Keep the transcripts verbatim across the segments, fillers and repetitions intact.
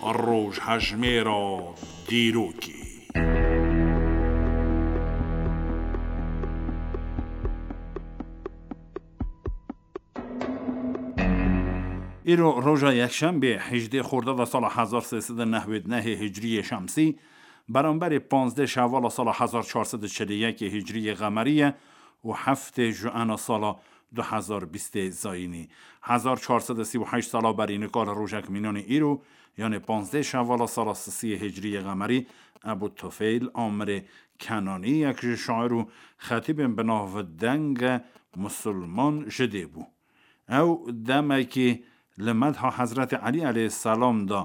Rojhejmêra dîrokê. Îro roja yekşembê, hejdê Xordada sala hezar sê sed û newid nehê Hicriyê Şemsî, beramberî panzdeh Şevala sala hezar çar sed û çil û yekê Hicriyê Qemerî ye û heftê Juena sala du hezar bîstê Zayînî. Hezar çar sed û sî û heşt sala berî nika li rojek mînanê îro, yanê panzdeh Şevala sala sisiyê Hicriyê Qemerî, Ebû Tufeyl Amirê Kenanî, yek ji şair û xetîbên bi navdeng e, musulman ji dê bû. Ew demekî li medha Hezretî Elî aleyhisselam de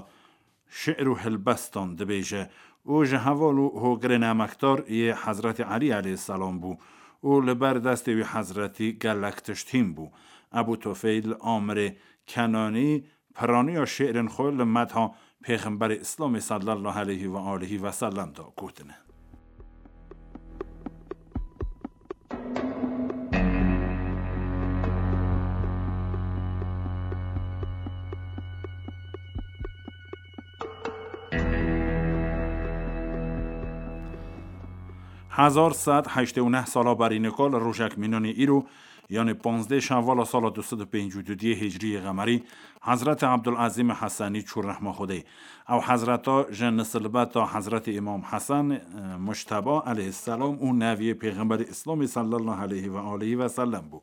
şi'r û hilbestan dibêje û ji heval û hogirên emekdar yê Hezretî Elî aleyhisselam bû û li ber destê wî Hezretî gelek tişt hîn bû. Ebû Tufeyl Amirê Kenanî piraniya şi'rên xwe li medha Pêxemberê Îslamê sallallahu aleyhi ve aleyhi ve sellem de gotine. Hezar sed heştê û neh sala berî nika li rojek mînanê îro, yanê panzdeh Şevala sala du sed û pêncî û duyê Hicriyê Qemerî, Hezretî Ebdulezîmê Hesenî çû rehma Xwedê. Ew hezreta ji nisilbeta Hezretî Îmam Hesen, e, Mujteba aleyhisselam û neviyê Pêxemberê Îslamê sallallahu aleyhi ve aleyhi ve sellem bû.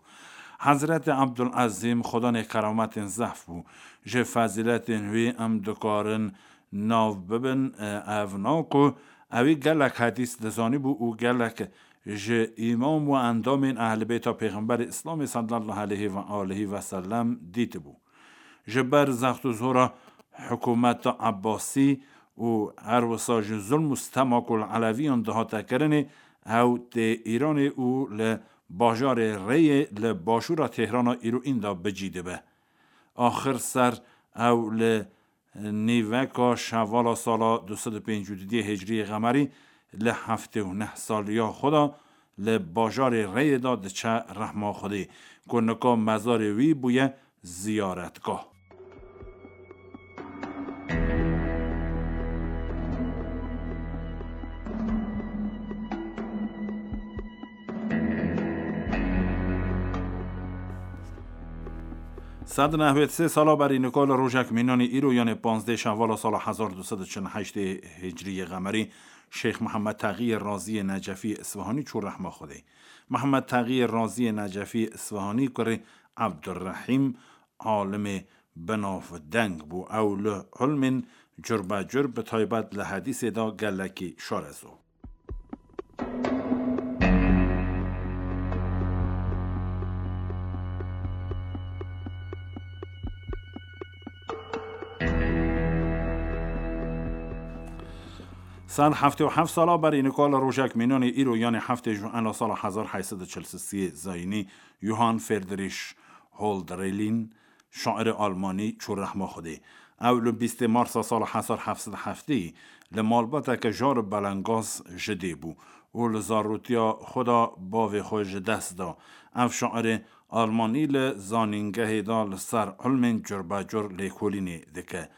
Hezretî Ebdulezîm Xwedanê kerametên zehf bû. Ji fezîletên wî em dikarin nav bibin, e, ev na ku ewî gelek hedîs dizanîbû û gelek ji îmam û endamên Ehlibêta Pêxemberê Îslamê sallallahu aleyhi ve aleyhi ve sellem dîtibû. Ji ber zext û zora hikûmeta Ebbasî û her wisa ji zulm û stema ku li Eleviyan dihate kirinê, ew tê Îranê û li bajarê Reyê li başûra Têhrana îro înda bi cî dibe. Axir ser ew li nîveka Şevala sala du sed û pêncî û duyê Hicriyê Qemerî li heftê û neh saliya xwe de li bajarê Reyê de diçe rehma Xwedê, ku nika mezarê wî bûye ziyaretgah. Sed nehwêd sê sala berî nika li rojek mînanî îro, yanê panzdeh Şevala sala hezar du sed û çil û heştê Hicriyê Qemerî, Şêx Mihemed Teqiyê Raziyê Necefî Îsfahanî çû rehma Xwedê. Mihemed Teqiyê Raziyê Necefî Îsfahanî kurê Ebdurrehîm alimê binavdeng bû. Ew li ilmên curbecur, bi taybet li hedîsê de gelekî şarezo. Sed heftê û heft sala berî nika li rojek mînanê îro, yanê heftê Juena sala hezar heyt sed û çil û sisiyê Zayînî, Johann Friedrich Hölderlin, şairê almanî çû rehma Xwedê. Ew li bîstê Marsa sala hezar heft sed û heftê li malbateke jar û belengaz ji dê bû û li zarotiya xwe de bavê xwe ji dest da. Ev şairê almanî li zanîngehê de li ser ilmên curbecur lêkolînê dike.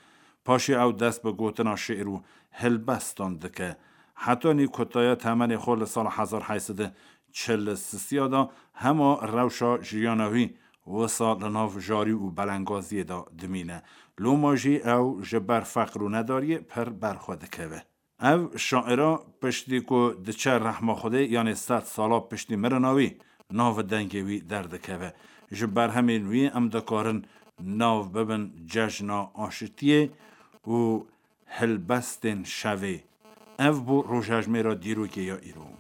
Paşê ew dest bi gotina şi'r û hilbestan dike. Hetanî kutaya temenê xwe li sala hezar heyt sed û çil û sisiya de hema rewşa jiyana wî wisa li nav jarî û belengaziyê de dimîne. Loma jî ew ji ber feqir û nedariyê pir berxwe dikeve. Ev şaira piştî ku diçe rehma Xwedê, yanê sed sala piştî mirina wî, nav dengê wî derdikeve. Ji berhemên wî em dikarin nav bibin cejna aşitiyê û helbestên şevê. Ev bû rojhejmêra dîrokê ya îro.